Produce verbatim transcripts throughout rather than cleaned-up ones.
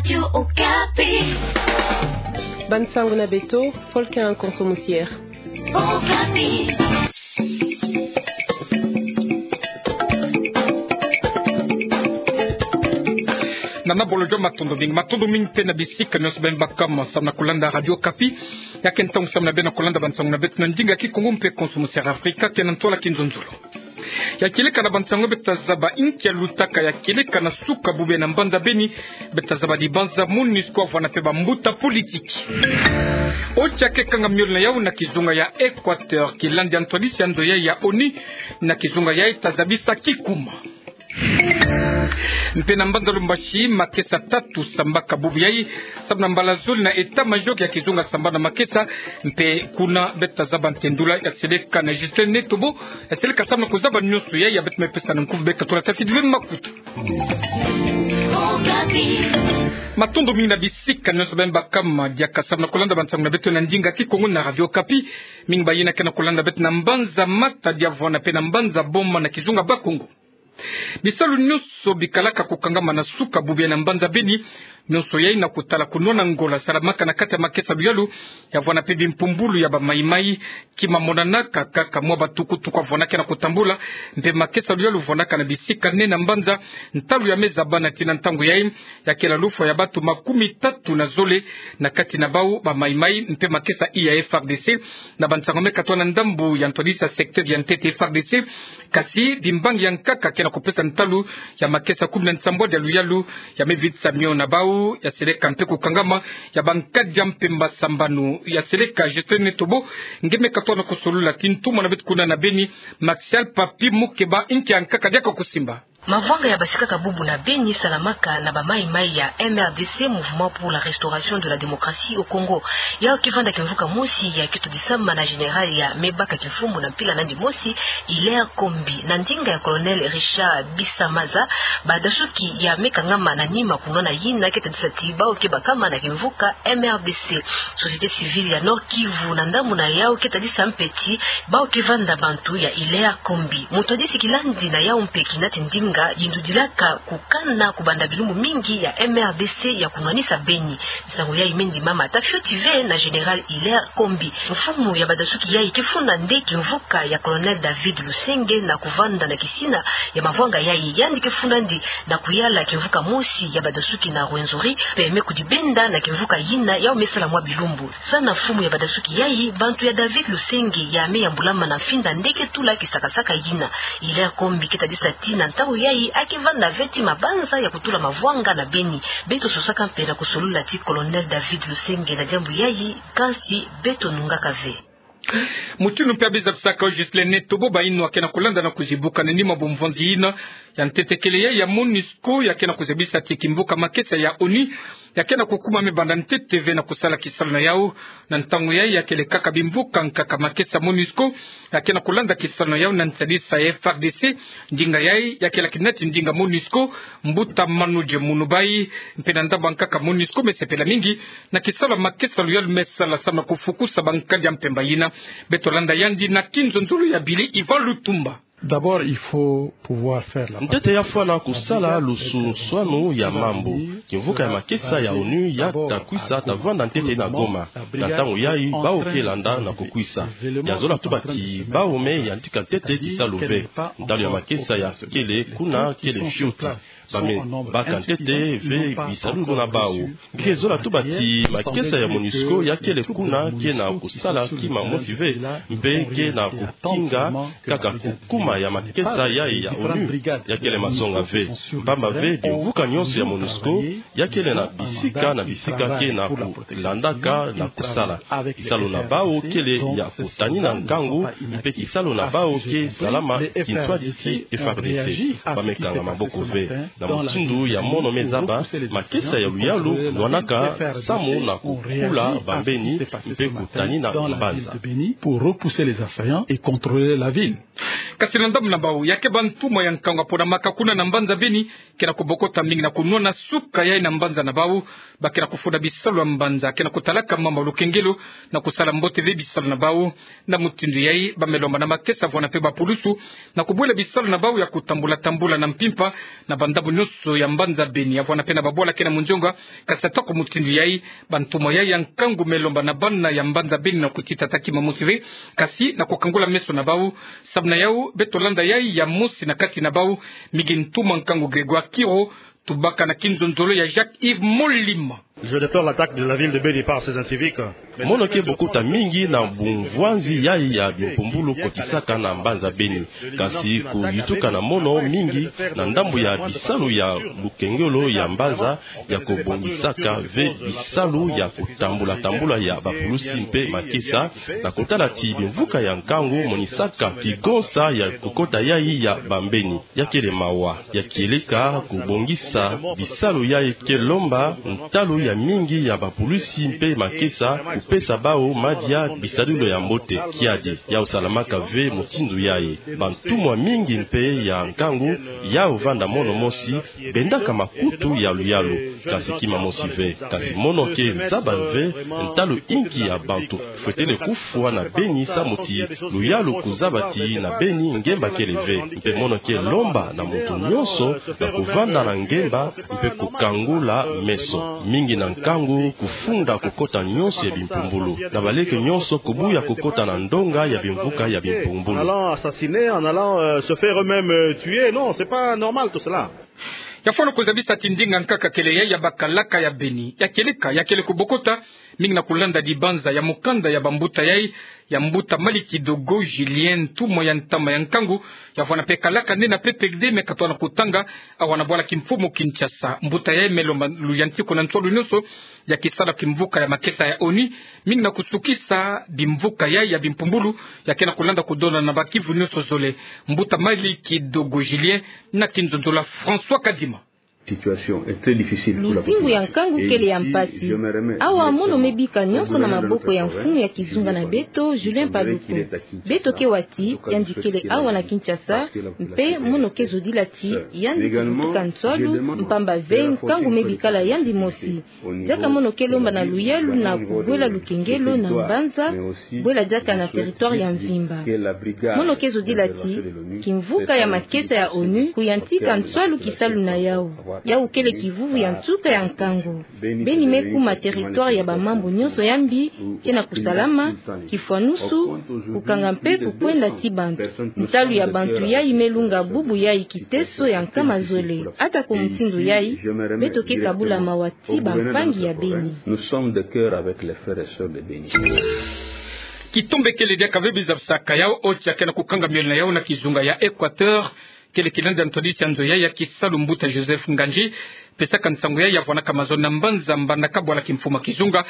Radio Okapi. Bansango na beto, Volcan Konso Musiere. Okapi. Nana Bolojo, matondo mingi, matondo mingi mpe na bisika nyonso beno bakama samu na kulanda Radio Okapi. Ya ke ntangu samu na beno kulanda bansango na beto na ndinga Kikongo mpe Konso Musiere Afrika, ke na ntwala kinzonzolo. Ya kieleka na bansango beto tazaba: inki yalutaka ya kieleka na suka bubu ya na mbanza Beni? Beto tazaba dibanza MONUSCO avwanda mpe bambuta politiki. Oti ya ke kanga miole na yau na kizunga ya Equateur, kilandi ya ntwadisi ya nzo yai ya ONU na kizunga yai tazabisa kikuma. Mpe na mbanza Lubumbashi, makesa tatu sambaka bubu yai, samu na mbala zole na état-major ya kizunga sambana makesa. Mpe kuna beto tazaba ntendula ya seleka na Justin Netobo, ya seleka samu na kuzaba nyonso yai. Ya beto me pesa na nkufi, beka tula tafidi ve makutu. Matondo mingi na bisika nyonso beno bakama diaka samu na kulanda bansango na beto na ndinga Kikongo na Radio Okapi. Mingi bayina ke na kulanda beto na mbanza Matadi, avwanda mpe na mbanza Boma na kizunga Bakongo. Bisalu nyonso bikalaka kukangama na suka bubu ya na mbanza Beni, nyonso yai na kutala kunwana ngola salamaka na kati ya makesa luyalu, ya vwanda mpe bimpumbulu ya bamaimai. Kima monanaka kaka mwa batukutuku avwandaka na kutambula, mpe makesa luyalu vwandaka na bisika nene na mbanza. Ntalu ya me zabana tii na ntangu yai, ya kela lufwa ya bantu makumi tatu na zole, na kati na bau bamaimai mpe makesa iya F R D C. Na bansango me katoa na ndambu ya ntwadisi ya secteur ya ntete F R D C, kasi bimbangi ya nkaka ke na kupesa ntalu ya makesa kumi na nsambwadi ya luyalu ya me vitisa mio na bau, ya seleka mpe kukangama ya bankadi ya mpemba sambanu. Ya seleka Justin Netobo, nge me katoa na kusolola tii ntumwa na beto kuna na Beni, Maxial Papi Mukeba. Inki ya nkaka diaka kusimba? Mavwanga ya basikaka bubu na Beni salamaka na bamaimai ya M R D C, Mouvement pour la Restauration de la Démocratie au Congo. Yau ke vanda kimvuka mosi ya ke twadisama na général ya me baka kimfumbu na mpila nandi mosi, Hilaire Kombi. Na ndinga ya Colonel Richard Bisamaza, badasuki ya me kangama na nima kunwana yina ke tadisa tii bau ke bakama na kimvuka M R D C. Société civile ya Nord-Kivu na ndambu na yau ke tadisa mpe tii bau ke vanda bantu ya Hilaire Kombi. Mutwadisi kilandi na yau mpe kinati ndinga yindudilaka kukana kubanda bilumbu mingi ya M R D C ya kunwanisa Beni. Nsangu yai me ndimama ata fioti ve na général Hilaire Kombi. Mfumu ya badasuki yai ke funda nde kimvuka ya Colonel David Lusenge na kuvanda na kisina ya mavwanga yai. Yandi ke funda nde na kuyala kimvuka mosi ya badasuki na Rwenzori, mpe me kudibenda na kimvuka yina yau me sala mwa bilumbu. Sa na mfumu ya badasuki yai, bantu ya David Lusenge ya me yambulama na mfinda nde ke tula kisakasaka yina. Hilaire Kombi ke tadisa tii na ntangu yai a ke vanda ve tii mabanza ya kutula mavwanga na Beni. Beto sosaka mpe na kusolola tii Colonel David Lusenge na diambu yai, kansi beto nungaka ve. Mutindu mpe ya bizabisaka yo Justin Netobo, bayinwa ke na kulanda na kuzibuka na nima bumvwanzi yina ya ntetekele yai ya MONUSCO ya ke na kuzabisa tii kimvuka makesa ya ONU ya ke na kukuma me banda ntete ve na kusala kisalu na yau. Na ntangu yai ya kele kaka bimvuka nkaka makesa MONUSCO ya ke na kulanda kisalu na yau na nsadisa ya F R D C. Ndinga yai ya kela kinati ndinga MONUSCO, mbuta Manuje Munubai, mpe na ndambu ya nkaka MONUSCO me sepela mingi na kisalu ya makesa luyalu me sala samu na kufukusa bankadi ya mpemba yina. Beto landa yandi na kinzonzolo ya Billy Ivan Lutumba. D'abord, il faut pouvoir faire la part. Ntete ya fwana kusala lusunswanu ya mambu. Kimvuka ya makesa ya ONU ya ta kwisa ta vanda ntete na Goma. Na ntangu yai bau ke landa na kukwisa. Ya zola tuba tii bau me yantika ntete kisalu ve. Ntalu ya makesa ya kele kuna kele fioti. Ba me baka ntete ve bisalu na bau. Nge ke zola tuba tii makesa ya MONUSCO ya kele kuna ke na kusala kima mosi ve, mpe ke na kukinga kaka kukuma ya makesa yai ya ONU ya kele masonga ve. Mpamba ve bimvuka nyonso ya MONUSCO ya kele na bisika na bisika ke na kulandaka na kusala. Kisalu na bau kele ya kutanina ngangu, mpe kisalu na bau ke salama kintwadi ti F R D C. Ba me kanga maboko ve. Na mutindu ya mono me zaba, makesa ya luyalu nwanaka samu na kukula bambeni mpe kutanina mbanza. Pour repousser les assaillants et contrôler la ville. Kasi na ndambu na bau, ya ke bâ ntumwa ya nkangu ya pona makakuna na mbanza Beni, ke na kubokota mingi na kunwana suka yai na mbanza na bau. Ba ke na kufunda bisalu ya mbanza, ke na kutalaka mama lukengelo na kusala mbote ve bisalu na bau. Na mutindu yai, ba me lomba na makesa vwana mpe bapulusu na kubwela bisalu na bau ya kutambula tambula na mpimpa na banda nyonso ya mbanza Beni. Ya vwanda mpe na babwala ke na mondionga, kasi atako mutindu yayi, bantumwa yayi ya nkangu me lomba na bana ya mbanza Beni na kutita taki mamosi ve, kasi na kukangula meso na bau. Sababu na yau, beto landa yayi ya mosi na kati na bau, mingi ntumwa nkangu Grégoire Kiro, tubaka na kinzonzolo ya Jacques Yves Molima. Je déplore l'attaque de la ville de Beni par ces inciviques. Mono ke bokota mingi na bumvwanzi yayi ya bimpumbulu kotisaka na mbanza Beni. Kasi kuyutuka na mono mingi na ndambu ya bisalu ya lukengolo ya mbanza ya kobongisaka ve bisalu ya kotambula-tambula ya bapulusi mpe makesa, na kotala ti bimvuka ya nkangu monisaka kigonsa ya kokota yayi ya bambeni. Ya kele mawa, ya kieleka kobongisa bisalu yayi ke lomba ntalu ya mingi ya bapulusi mpe makesa, kupesa bau madia bisadulu ya mbote kiadi. Yau salamaka ve mutindu yayi. Bantumwa mingi mpe ya nkangu, yau vanda mono mosi, bendaka makutu ya luyalu, kasi kima mosi ve. Kasi mono ke zaba ve ntalu inki ya bantu fwetele kufwa na Beni samu ti luyalu kuzaba ti na Beni ngemba kele ve. Mpe mono ke lomba na muntu nyonso na kuvanda na ngemba mpe kukangula meso. Mingi na nkangu kufunda kokota nyonso ya bimpumbulu, na baleke nyonso kubuya kokota na ndonga ya bimvuka ya bimpumbulu. En allant assassiner, en allant, euh, se faire eux-mêmes, euh, tuer, non, c'est pas normal tout cela. Ya fwana kuzabisa ti ndinga nkaka kele yayi ya bakalaka ya Beni. Ya kieleka, ya kele kubokota, mingi na kulanda dibanza ya mukanda ya bambuta yayi, ya mbuta Malikidogo Julien, ntumwa ya ntama ya nkangu, ya vwanda mpe kalaka nde na P P D, me katwa na kutanga awa na bwala kimfumu Kinshasa. Mbuta yayi me lomba luyantiku na nswalu nyonso ya kisala kimvuka ya makesa ya ONU, mingi na kusukisa bimvuka yayi ya bimpumbulu, ya ke na kulanda kudona na bakivu nyonso zole. Mbuta Malikidogo Julien, na kinzonzolo ya François Kadima. Situation est très difficile pour la population. Luzingu ya nkangu kele ya mpasi. Awa mono me bika nyonso na maboko ya mfumu ya kizunga na beto, Julien Paluku. Beto ke wa ti yandi kele awa na Kinshasa, mpe mono ke zodila ti yandi kuvutuka nswalu, mpamba ve nkangu me bikala yandi mosi. Diaka mono ke lomba na luyalu na kubwela lukengelo na mbanza, bwela diaka na territoire ya mvimba. Mono ke zodila ti kimvuka ya makesa ya ONU kuyantika nswalu kisalu na yau. Yau kele kivuvu ya nsuka ya nkangu. Beni me kuma territoire ya bamambu nyonso ya mbi ke na kusalama, kifwanusu, kukanga mpe kukwenda ti bantu. Ntalu ya bantu yayi me lunga bubu yayi kiteso ya nkama zole. Atako mutindu yayi, beto ke kabula mawa ti bampangi ya Beni. Nous sommes de cœur avec les frères et sœurs de Beni. Kitombe kele diaka ve bizabisaka yau OCHA ke na kukanga miole na yau na kizunga ya Équateur, kele kilanda ntwadisi ya nzo yayi ya kisalu mbuta Joseph Nganji, pesaka nsangu yayi ya vwanaka mazono na mbanza Mbandaka bwala kimfumu ya kizunga,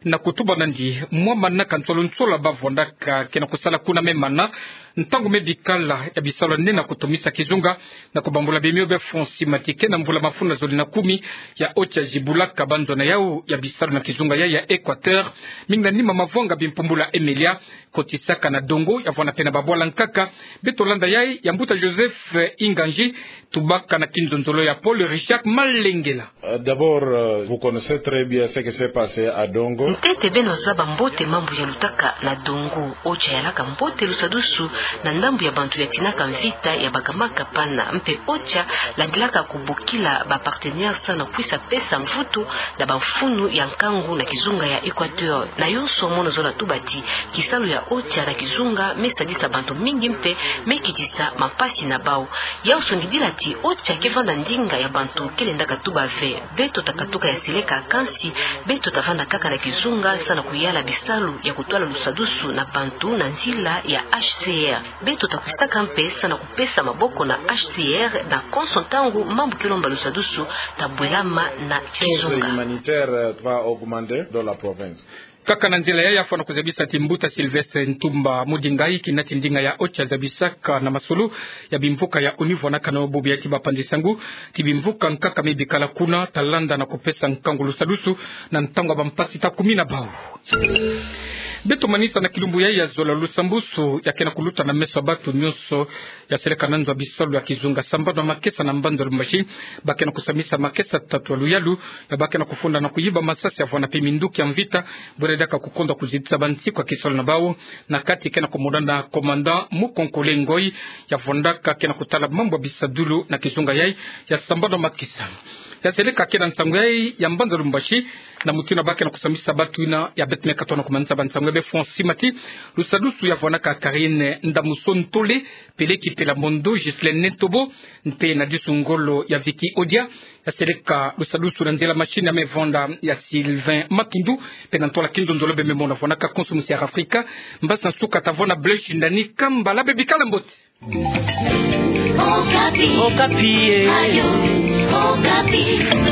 na kutuba nandi mwa manaka nsolo nsolo ba vwandaka ke na kusala kuna me mana, ntangu me bikala ya bisalu nde na kutomisa kizunga, na kubambula bimio bia Francis Matike na mvula mafunda zole na kumi ya OCHA zibulaka banzo na yau ya bisalu na kizunga yayi ya Équateur, mingi na nima mavwanga bimpumbulu ya Emelia, kotisaka na dongo, ya vwanda mpe na babwala nkaka. Beto landa yayi ya mbuta Joseph Nganji, tubaka na kinzonzolo ya Paul Richard Malengela. Euh, d'abord, euh, vous connaissez très bien ce qui s'est passé à Dongo. Ntete beno zaba mbote mambu ya lutaka na Dongo. OCHA yalaka mbote lusadusu na ndambu ya bantu ya tinaka mvita ya bakamaka pana. Mpe OCHA landilaka kubokila ba partenaires samu na kwisa pesa mvutu na bamfunu ya nkangu na kizunga ya Équateur. Na yonso mono zola tuba ti kisalu ya OCHA na kizunga me sadisa bantu mingi mpe me kitisa mampasi na bau. Yau songidila ti OCHA ke vanda ndinga ya bantu ke lendaka tuba ve: beto ta katuka ya seleka, kansi beto ta vanda kaka na kizunga samu na kuyala bisalu ya kutwala lusadusu na bantu na nzila ya HCR. Beto ta kwisaka mpe samu na kupesa maboko na HCR na konso ntangu mambu ke lomba lusadusu ta bwelama na kizunga. Humanitaire, euh, va augmenter dans la province. Kaka na nzila yayi ya fwana kuzabisa ti mbuta Sylvestre Ntumba Mudingai, kinati ndinga ya OCHA zabisaka na masolo ya bimvuka ya ONU vwanaka na bobo ya ti bapanzi sangu ti bimvuka nkaka me bikala kuna ta landa na kupesa nkangu lusadusu na ntangu ya bampasi ta kumi na bau. Beto manisa na kilumbu yai ya zola Lusambusu, ya ke na kuluta na meso ya bato nyonso ya seleka na nzo ya bisalu ya kizunga sambanu na makesa na mbanza Lubumbashi, ba ke na kusamisa makesa tatu ya luyalu, ya ba ke na kufunda na kuyiba masasi ya vwanda pe minduki ya mvita, bwere diaka kukonda kuzitisa bansiku ya kisolo na bau, na kati ke na kumona na commandant Mukonkole Ngoyi, ya vwandaka ke na kutala mambu ya bisadulu na kizunga yai ya sambanu na makesa. Ya seleka ke na nsangu yai ya mbanza Lubumbashi, na mutindu ba ke na kusamisa bato ina ya beto me katoa na kumanisa ba nsangu ya be Francis Mati, Lusadusu ya vwanaka Karine Ndamuso Ntole, Peleki Pelamondo, Ghislaine Netobo, mpe na disu ngolo ya Vicky Odia. Ya seleka Lusadusu na nzila machine ya me vwanda ya Sylvain Matundu, mpe na ntwala Kinzonzolo be me mona vwanaka konso musi ya Afrika. Mbasi nsuka ta vwanda Blaise Shindani Kambala, be bikala mbote. Okapi. Okapi, eh. Radio Okapi.